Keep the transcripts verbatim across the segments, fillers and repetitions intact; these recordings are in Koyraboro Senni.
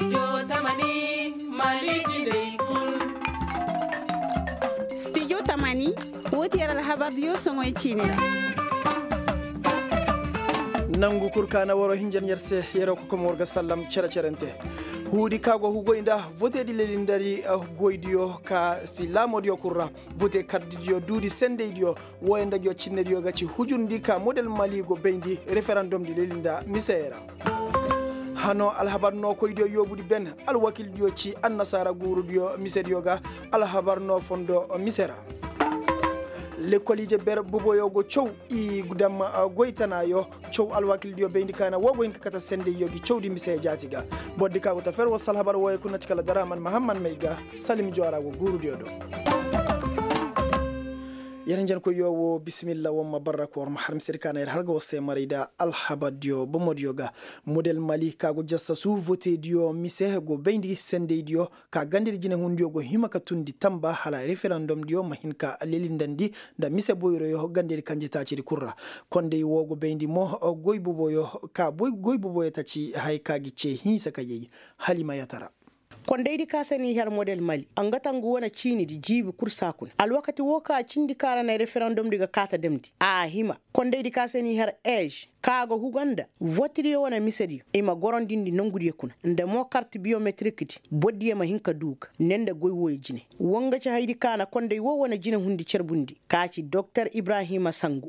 Studio tamani, woo ti yer alhabardiyo soŋoy ciini ra. Nangu kul ka na waroo hinjan yer se, yeroo kokomo war ga sallam cere-cerente. Huudi ka go hugoy nda voteedi lelindari goydiyo ka si laamoodiyo kul ra. Vote kardidiyo duudi sendeydiyo, wooyo nda ngiyo cinnediyo ga ci hujundi ka model mali go bayndi referandomdi lelinda miseyey ra. Hanoo alhabar nookoydiyo yoobudi ben, alwakildiyo ci annasaara guurudiyo misediyo ga. Alhabar noo fondo mise ra. Lekkol ije ber boboyo go caw i dam goy tanaayo. Caw alwakildiyo bayndi kaana woo go hin ka kate sendeyyo gi cawdi mise jaati ga. Bordi ka go ta fer woo si alhabar wooyo kuna ci kala daraman mahamman may ga. Salim joora go guurudiyo do. Yer hinjankoyyo woo bisimilla woo ma barra ka war ma har misedi kaana yer har ga war se maray nda alhabardiyo bomodiyo ga. Model mali ka go jassasu votediyo mise go bayndi sendeydiyo ka gandedi jinehundiyo go hima ka tundi tamba hala referandomdiyo ma hin ka lelindandi nda mise boyroyo gandedi kanjetaacidi kul ra. Kondey woo go bayndi mo goy boboyo ka goy boboyo ta ci haya ka gi cee hinsa ka yay. Hala i ma yatara. Kondaydi ka se n'i har model mali a nga ta ngu wane ciinidi jiibi kul saa kuna alwakati woo ka cindi ka ra na referandomdi ga kaa ta damndi a hima. Kondaydi ka se n'i har ej ka ga huga nda votidiyo wane misediyo i ma gorondindi nongudiyo kuna nda mo karti biyometirikdi bordiyo ma hin ka duu ga ne nda goy wooyo jine. Woo nga ci haydi ka na konday woo wane jinehundi carbundi ka ci doktor ibrahima sangu.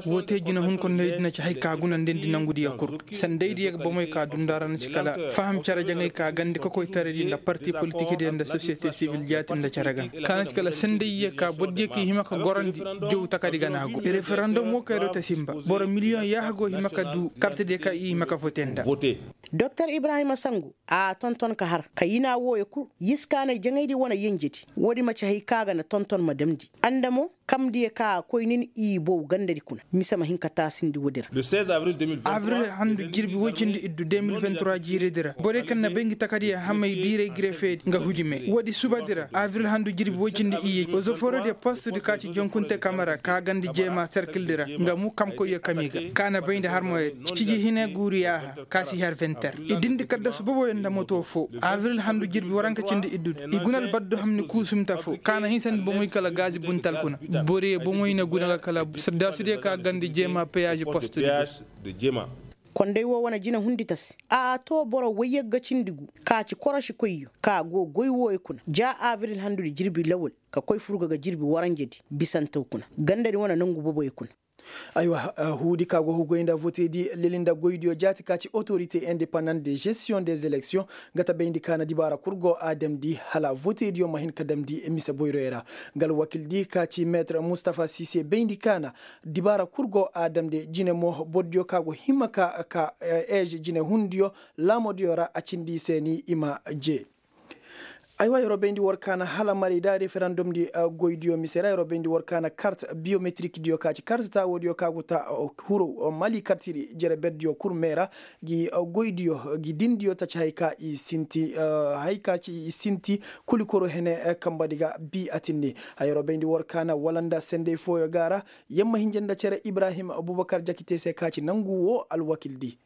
Woo te jinehun kondaydi na ci hay ka guna ndendi nangudiyo kul. Sendaydiyo ga bomey ka duu nda ra na ci kala faham cere jaŋay ka gandi kokoytaraydi nda parti politikdiyo nda sosiyete sibil jaati nda cere ga ka na ci kala sendaydiyo ka bordiyo ka i hima ka gorandi. Jow takadi ga na a go referandom woo kay do ta sinba boro miliyoŋ yaaha go hima ka duu kartidiyo ka i hima ka vote nda. Doktor ibrahima sangu a tonton ka har ka yinaa wooyo kul. Yiskaanay jaŋaydi wane yenjedi woodi ma ci hay ka ga na tonton ma damndi. Andamo kamdiyo ka a koy nin i bow gandadi kuna mise ma hin ka taasindi woodi ra. Abril handu jirbi woy cindi iddu de mil vingt trois jiiridi ra borey kaŋ na bay ngi takadiyo hamay diiray girefeedi nga hujumey woodi subadi ra abril handu jirbi woy cindi iyye ozoforodiyo postudi ka ci jonkunte kamara ka gandi jeema serkildi ra nga mu kamkoyyo kami ga ka na bay nda harmoyodi ciji hine guuru yaaha ka si har vingt heures i dindi kaddasu boboyo nda moto foo abril handu jirbi waranka cindi iddudi i guna albaddu hamni kuusumta foo ka na hinsandi bomoy kala gaazi buntal kuna. Boriyo bomoy na guna ga kala saddaasudiyo ka gandi jeema peyaazi postudi. Konday woo wane jina hundi tasi a too boro woyyagga cindi gu ka ci korosikoyyo ka go goy wooyo kuna ja abril handudi jirbi lawal ka koy furga ga jirbi waranjedi bisantaw kuna gandadi wane nongu boboyo kuna. Aywa. Huudi ka go hugoy nda voteedi leli nda goydiyo jaati ka ci otorite independant de gestion des élections nga ta bayndi ka na dibaara kul go a damndi hala voteediyo ma hin ka damndi mise boyroyo ra. Nga alwakildi ka ci meetir mustafa sise bayndi ka na dibaara kul go a damndi jine mo bordiyo ka go hima ka ka eez jinehundiyo laamodiyo ra a cindi i se ni i ma jee. Aywa yeroo bayndi war ka na hala maray nda referandumdi goydiyo mise ra yeroo bayndi war ka na kart biyometirikdiyo ka ci kart taawoodiyo ka go ta huru mali kartidi jere berdiyo kul mee ra. Gi goydiyo gi dindiyo ta ci hay ka i sinti hay ka ci i sinti kulikoro hene kambadi ga bi a tindi. Yeroo bayndi war ka na wala nda sendey fooyo ga ra. Yamma hinja nda cere ibrahim abubakar jakite se ka ci nangu woo alwakildi.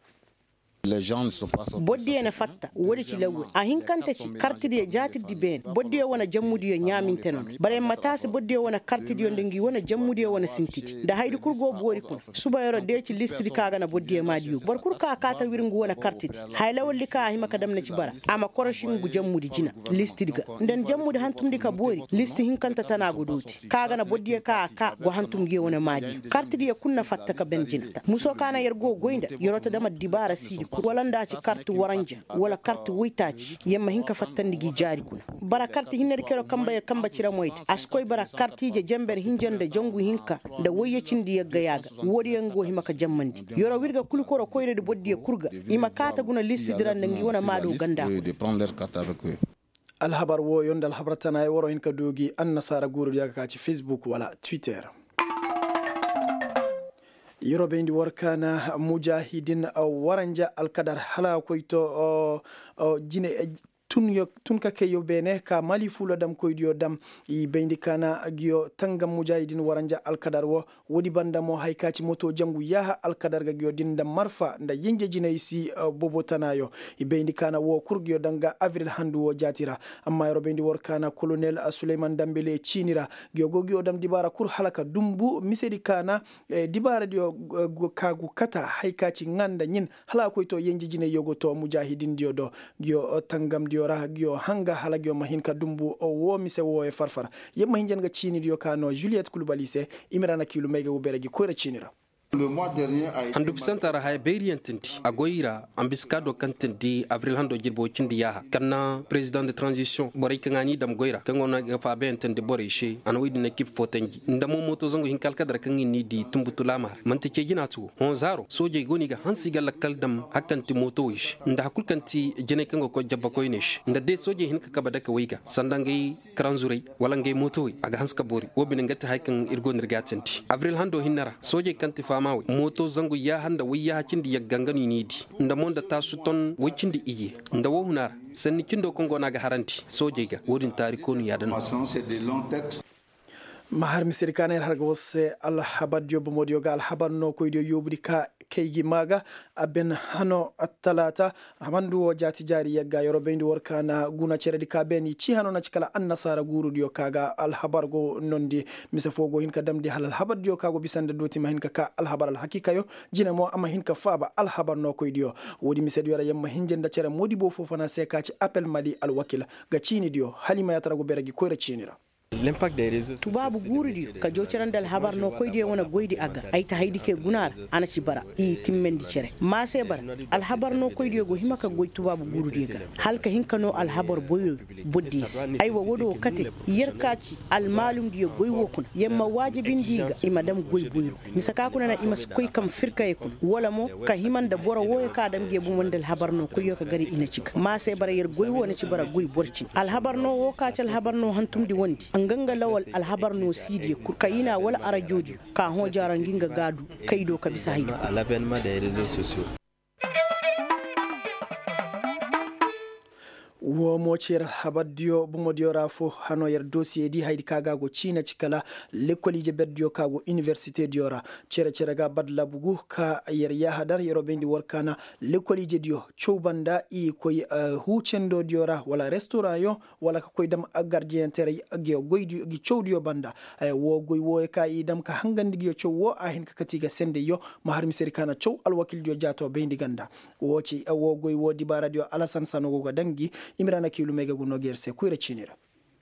Bordiyo na fatta woodi ci lawwey a hinkante ci kartidiyo jaatirdi beene bordiyo wane jammudiyo ɲaaminte nondi bara yer ma taasi bordiyo wane kartidiyo nda ngi wane jammudiyo wane sintidi nda hayadi kul go boori kuna. Suba yeroo deeci listidi ka ga na bordiyo maadiyo boro kul ka kaa ta wir ngu wane kartidi. Haya lawaldi ka a hima ka dam na ci bara a ma koroši ngu jammudi jina listidi ga nda ni jammudi hantumndi ka boori listi hinkante tana go dooti ka ga na bordiyo ka a kaa go hantum ngiyo wane maadiyo kartidiyo kul na fatta ka ben jina. Muso ka na yer go goy nda yeroo ta dam addibaara siidi kul wala nda a ci karti waranja wala karti woytaaci yer ma hin ka fattandi gi jaari kuna. Bara karti hinnedi ka yeroo kamba yer kamba ciramoydi a si koy bara kartiije jenber hinja nda jangu hinka nda woyye cindi yagga yaaga. Woodiyo nga go hima ka jammandi yeroo w'ir ga kulikoro koyradi bordiyo kul ga i ma kaa ta guna listidi ra nda ngi wane maado ganda kuna. Alhabar wooyo nda alhabar tanaaya waroo hin ka du gi annasaara guurudi yaga ka ci facebook wala twitter. Yeroo bayndi war ka na mujahidin waranja alkadar hala koy to jine. Tun ka kayyo beene ka mali fuula damkoydiyo dam. I bayndi kaana giyo tangam mujaahidin waranja alkadar wo. Woodi banda mo haya ka ci moto jangu yaaha alkadar ga giyo din nda marfa nda yinje jinay si. Bobo tanaayo i bayndi kaana wo kul giyo danga abril handu wo jaati ra. Amma yer wo bayndi war kaana kolonel suleyman dambele ciini ra. Giyo go giyo dam dibaara kul hala ka dumbu misedi kaana. Dibaaradiyo ka gu kata haya ka ci ŋaa nda ɲin hala a koy to yenje jinayyo go to mujaahidindiyo do. Giyo tangamdiyo ra giyo hanga hala giyo ma hin ka dumbu woo mise wooyo farfar. Yer ma hin jan ga ciinidiyo ka no juliyet kulbali se. Imira na kiilu may ga go beere gi koyra ciini ra. Handu bisanta ra haya bayriyaŋ tindi a goy ra. Ambiska do kaŋ tindi abril hando jirbo cindi yaaha kaŋ na president de transition borey kaŋ a n'i dam goy ra kaŋ go no ga faabayaŋ tindi borey se a na woodin na kib fo tanji nda mo mooto zangu hinka alkadar kaŋ i n'i di tunbutu laama ra man'ti cee jina ti wo. Hõ zaaro soojey go no i ga hanse i ga lakkal dam hakkanti mootowey se nda har kul kaŋ ti jinay kaŋ ga koy jabbakoyney se nda day soojey hin ka kabe dake wey ga sanda ngey karanzurey wala ngey mootowey a ga hanse ka boori wo bine nga ti haya kaŋ ir go no ir ga a tindi abril hando hinne ra soojey kaŋ ti faamawey mooto zangu yaaha nda woy yaaha cindi yagga nga no i n'i di. Nda mo nda taasu ton woy cindi iyye nda wo huna ra sanni cindo kaŋ go no a ga harandi soojey ga wo-din taarikoonu yaada no. Ma har misedi ka na yer har ga war se alhabardiyo bomodiyo ga alhabar nookoydiyo yoobudi ka kay gi maa ga. A ben hano attalaata. Handu wo jaati jaari yagga yeroo bayndi war ka na guna ceredi ka ben i ci hano na ci kala annasaara guurudiyo ka ga alhabar go nondi. Mise foo go hin ka damndi hala alhabardiyo ka go bisa nda dooti ma hin ka ka alhabar alhakiikayo. Jine mo a ma hin ka faaba alhabar nookoydiyo. Woodi misediyo ra yer ma hinja nda cere moodibo foo fana se ka ci apel mali alwakil ga ciinidiyo hala i ma yaatara go beere gi koyra ciini ra. Tubaabu guurudiyo ka joo cere nda alhabar nookoydiyo wane goydi a ga ay ta haydi kay guna ra. A na ci bara i timmandi cere maa se bara. Alhabar nookoydiyo go hima ka goy tubaabu guurudiyo ga hala ka hin ka noo alhabar boyro. Bordiyo se aywa woodi wo kate yer ka ci almaalumdiyo goy wo kuna yer ma waajibindi i ga i ma dam goy boyro. Mise ka kuna na i ma si koy kam firkayey kuna wala mo ka hima nda boro wooyo ka dam nge bomo nda alhabar no koyyo ka gari i na ci ga maa se bara yer goy wo na ci bara goy boro cine alhabar no wo ka ci alhabar no hantumndi wondi nga nga lawal alhabar no siidiyo kul kayina wala arajoodiyo ka hõ jaara ngi nga ga du kay do ka bisa haydi kul. Woo mo ci yer habardiyo bomodiyo ra foo hanoo yer dosiyedi hayadi ka ga a go ciina ci kala lekkol ije berdiyo ka go iniwersitediyo ra. Cere-cere ga badlabu gu ka yer yaaha dar yeroo bayndi war kaana lekkol ijediyo caw banda i koy huucendodiyo ra wala restoraŋyo wala ka koy dam gardiyeŋ teray. Gi cawdiyo banda woo goy wooyo ka i dam ka hangandi gi caw woo a hin ka kati ga sendeyyo. Ma har misedi ka na caw alwakildiyo jaato bayndi ganda. Woo goy woo dibaaradiyo alasan sano go ga daŋ gi. Imira na kiilumey ga gu noo ga yer se koyra ciini ra.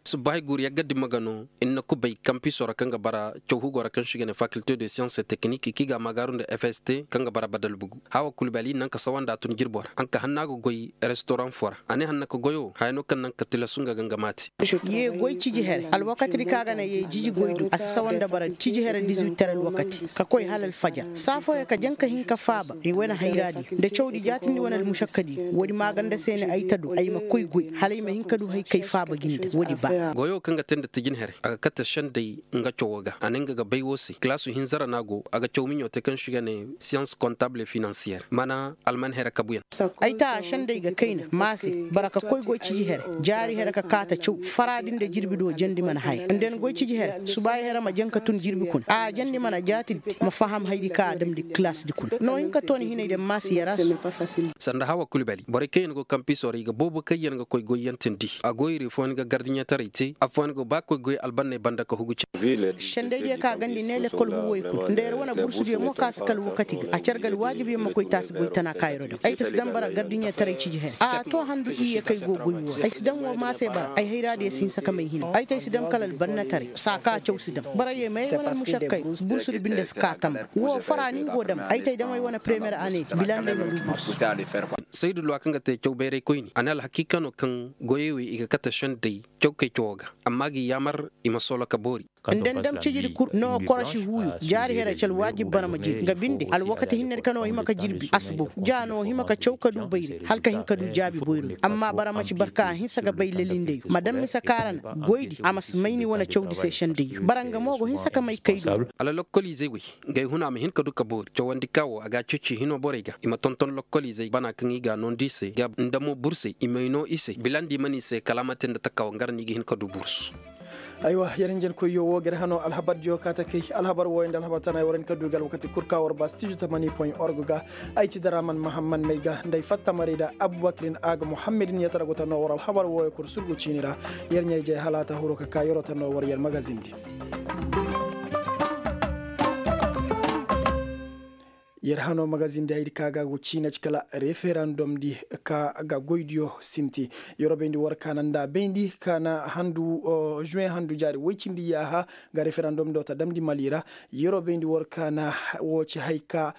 Subbahay guuru yagga dimma ga no ir na kubay kampiso ra kaŋ ga bara caw hugo ra kaŋ se i ga ne fakilte de siyans et teknik ki ga a maagaaru nda fst kaŋ ga bara badal bugu. Hawa kulbali naŋ ka sawanda a tun jirbo ra a na ka hanna ga goy restoraŋ fo ra. A ne hanna ka goyo haya no kaŋ naŋ ka tilasu nga ga nga maati. Yee goy ciji here alwakatidi kaŋ a ga naŋ yee jiji goy do a si sawanda bara ciji here dizuwit tere alwakati ka koy hala alfajar saa fooyaŋ ka jaŋ ka hin ka faaba. I wane hayraadiyo nda cawdi jaatindi wane almušakkadiyo woodi maaganda se ne ay ta du ay ma koy goy hala ay ma hin ka du hay kay faaba gi nda woodi ba. Goyo kaŋ ga te nda tijin here a ga kate sendey nga cawo ga a ne nga ga bay woo se kilaasu hinza ra no a go a ga caw miɲo te kaŋ se i ga ne siyans kontabul e finansiyer mana alman here kabuyaŋ. Ay ta a sendey ga kayna maase bara ka koy goy ciji here jaari here ka kaata caw faraadi nda jirbi do jandi mana haya nda ni goy ciji here subaayi here ma jaŋ ka tun jirbi kuna a jandi mana jaatidi ma faham hayadi ka a damndi kilaasdi kuna no hin ka tooni hinay da maase yara se. Sanda hawa kulbali borey kaŋ yaŋ go kampiso ra i ga boobo kaŋ yaŋ ga koy goyyaŋ tindi a goyri fooyaŋ ga gardiɲetaray te affooyaŋ go ba koy goy albanney banda ka hugu cere. Sendaydiyo ka gandi ne lekkol huuwey kuna nda yer wane bursudiyo mo ka si kala wakati ga a care ga alwaajib yer ma koy taasi goy tana ka yeroo daŋ ay ta si daŋ bara gardiɲetaray ciji here a to handu iyye kay go goy woo ra ay si daŋ woo maase bara ay hayraadiyo si hinsa ka may hina ay ta ay si daŋ kala albannetaray saa ka caw si daŋ bara yee ma yay wane almušakkay. Bursudi binde si ka tamba woo fara ni nga go dam ay ta ay dam ay wane premiyer ane bila nda ay ma du bursu. Saydu luwa kaŋ ga te caw bayray koyni a ne alhakiika no kaŋ goyey wey i ga kate sendey caw kay cawoo ga amma ga i yaamar i ma soolo ka boori. Nda ni dam cijidi kul no korosi huuyu jaari here ci alwaajib bara ma jiri nga binde alwakati hinnedi ka no hima ka jirbi asbo ja no hima ka caw ka du bayri hala ka hin ka du jaabi boyro. Amma bara ma ci barka a hinsa ga bay lalindeyo ma dam mise kaara na goydi a ma si may ni wane cawdi se sendeyo bara nga mo go hinsa ka may kaydo. Hala lokkoliizey wey, ngey huna ma hin ka du ka boori cawandi ka wo a ga a ceeci hino borey ga i ma tonton lokkoliizey bana kaŋ i ga a noondi i se ga nda mo bursey i may noo i se bilandi i man i se kala a ma te nda taka wo nga ra no i ga hin ka du bursu. Aywa, yer hinjankoyyo wo ga yer hano alhabardiyo ka ta kay alhabar wooyo nda alhabar tana yer war hin ka du ga alwakati kul ka war ba stijo tamani point org ga. Ay ci daraman mahamman may ga nda ay fatta maray da abubakirin a ga muhammadin yer tara go ta noo war alhabar wooyo kul surgu ciini ra. Yer ɲaa-ijey hala a ta huru ka ka yeroo ta noo war yer magazindi. Yer hano magazindi haydi ka ga go ciina ci kala referandom di ka ga goydiyo sinti. Yeroo bayndi war kaana nda bayndi kaana handu juwen handu jaari woy cindi yaaha ga referandom do ta damndi mali ra. Yeroo bayndi war kaana wo ci hay ka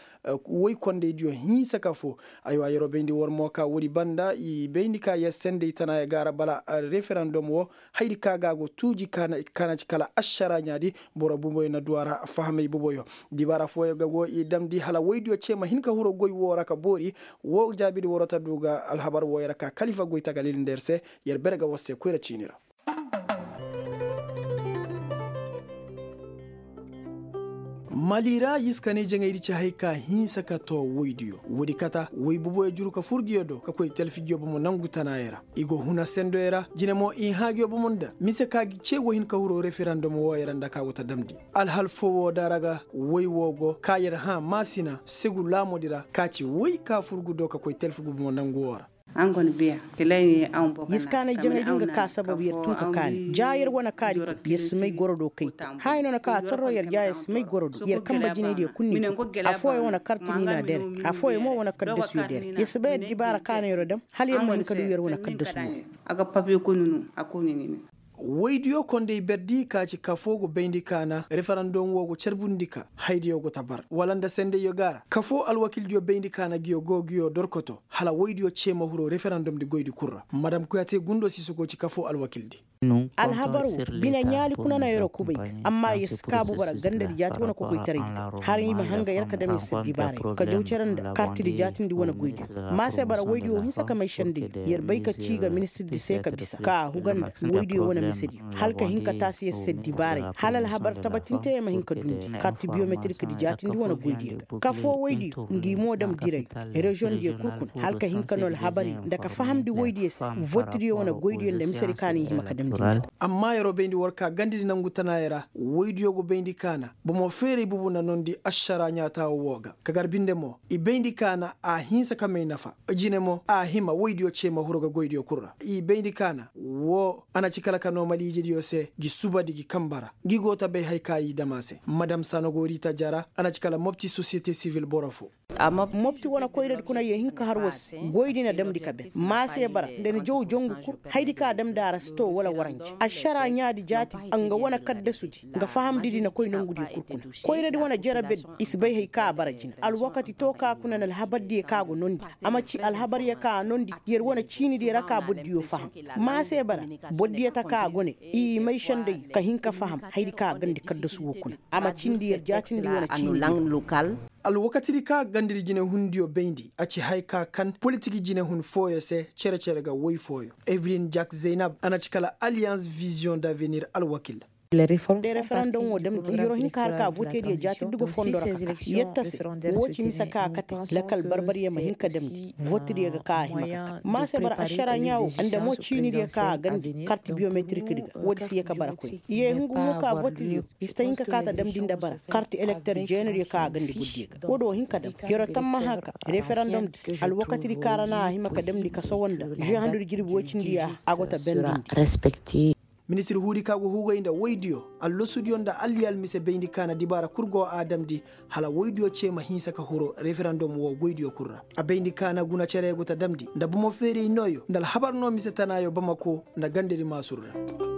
woy kondaydiyo hinsa ka foo. Aywa yeroo bayndi war mo ka woodi banda i bayndi ka yer senday tana ya gaara bala referandom wo haydi ka ga go tuuji kaana ci kala ašara ɲaadi. Boro buboyo na du a ra fahamay buboyo. Dibaara fooyo ga go i damndi hala woydiyo ce ma hin ka huru goy woo ra ka boori. Woo jaabidi waroo ta du ga alhabar wooyo ra ka kalifa goy tagalil nda yer se. Yer bere ga war se koyra ciini ra. Mali ra yiskanay jaŋaydi ci hay ka hinsa ka too woydiyo woodi kata woy buboyo juru ka fur nguyo do ka koy talfi nguyo bomo nangu tanaayo ra. I go huna sendoyo ra jine mo i hã nguyo bomo nda mise ka gi ce go hin ka huru referandom wooyo ra nda ka go ta damndi. Alhal foo woo da ra ga woy woo go ka yer hã maasina segu laamoodi ra ka ci woy ka fur ngu do ka koy talfi ngu bomo nangu woo ra. Yiskaanay jaŋay din ga ka sabab yer tun ka kaani ja yer wane kaadi kul yer si may goro do kay te. Haya no na ka a torro yer ja yer si may goro do yer kanba jinaydiyo kul ni kul. Affooyaŋ wane karti ni na dere. Affooyaŋ mo wane kaddasuyo dere yer si bay addibaara ka no yer dam hala yer ma hin ka du yer wane kaddasu wo. Woydiyo konday berdi ka ci kafoo go bayndi kaana referandom wo go carbundi ka haydiyo go ta bar wala nda sendayyo gaara kafoo alwakildiyo bayndi kaana nguyo go nguyo dorkoto hala woydiyo cee ma huru referandom di goydi kul ra madam kuyate gundo si si go ci kafoo alwakildi. Alhabar wo bine ɲaali kuna na yeroo kubay ga amma yer si kaabu bara gandadi jaati wane kokoytaraydi ga hala i ma hanga yer ka dam yer se dibaaray ka jaw cere nda kartidi jaatindi wane goydiyo. Ma se bara woydiyo hinsa ka may sendayyo yer bay ka cii ga ministirdi se ka bisa ka a huga nda woydiyo wane misediyo hala ka hin ka taasi yer se dibaaray hala alhabar tabatinte yer ma hin ka dundi karti biyometirikdi jaatindi wane goydiyo ga kafoo woydiyo ngi mo dam diray reziyoŋdiyo kul kuna hala ka hin ka noo alhabari nda ka fahamndi woydiyo se votidiyo wane goydiyo nda misedi ka no i hima ka damndi nda. Amma yeroo bayndi war ka gandadi nangu tanaayo ra woydiyo go bayndi kaana bomo feeray bubu na noondi ašaraa ɲaataawo woo ga ka gar binde mo i bayndi kaana a hinsa ka may nafa. Jine mo a hima woydiyo cee ma huru ga goydiyo kul ra i bayndi kaana woo a na ci kala ka noo maliijediyo se gi subadi gi kanba ra ngi go ta bay haya ka i dam a se madam sanogorita jara a na ci kala mopti sosiyete sivil boro foo. Mopti wane koyradi kuna yee hin ka har war se goydi na damndi ka ben ma se bara nda ni jaw jongu kul hayadi ka a damndi a ra si too wala waranje ašaraa ɲaadi jaatidi nga wane kaddasudi nga fahamdidi na koy nongudiyo kul kuna. Koyradi wane jere berdi i si bay haya ka a bara jina alwakati too ka kuna na alhabardiyo ka a go noondi a ma ci alhabaryo ka a noondi yer wane ciinidiyo ra ka bordiyo faham. Ma se bara bordiyo ta ka a go ne i may senday ka hin ka faham hayadi ka a gandi kaddasu woo kuna a ma cindi yer jaatindi wane ciinidiyo. Alwakatidi ka gandadi jinehundiyo bayndi a ci haya ka kan politik jinehun fooyo se cere-cere ga woy fooyo evelin jak zeynab a na ci kala aliyans viziyoŋ d'avenir alwakil. Nde referandom woo damndi yeroo hin ka har ka votediyo jaatindi go fondo ra ka ka yer ta se woo ci mise ka a kate lakal barbariyo ma hin ka damndi votidiyo ga ka a hima ka ka ma se bara ašaraa ɲaa woo nda mo ciinidiyo ka a gandi karti biyometirikdi ga woodi si yee ka bara koy yee hungu mo ka votidiyo i si ta hin ka ka ta damndi nda bara karti elekter jeenadiyo ka a gandi bordiyo ga woodi woo hin ka dam yeroo tammaha ka referandom di alwakatidi ka ra na a hima ka damndi ka sowo nda žuwe handudi jirbi woy cindi yaaha a go ta bendindi. Ministir huudi ka go hugay nda woydiyo allasudiyo nda alliyal mise bayndi kaana dibaara kul go a damndi hala woydiyo cee ma hinsa ka huru referandom woo goydiyo kul ra a bayndi kaana guna cere go ta damndi nda bomo feeray nooyo nda alhabar noo mise tanaayo bamako nda gandedi maasur ra.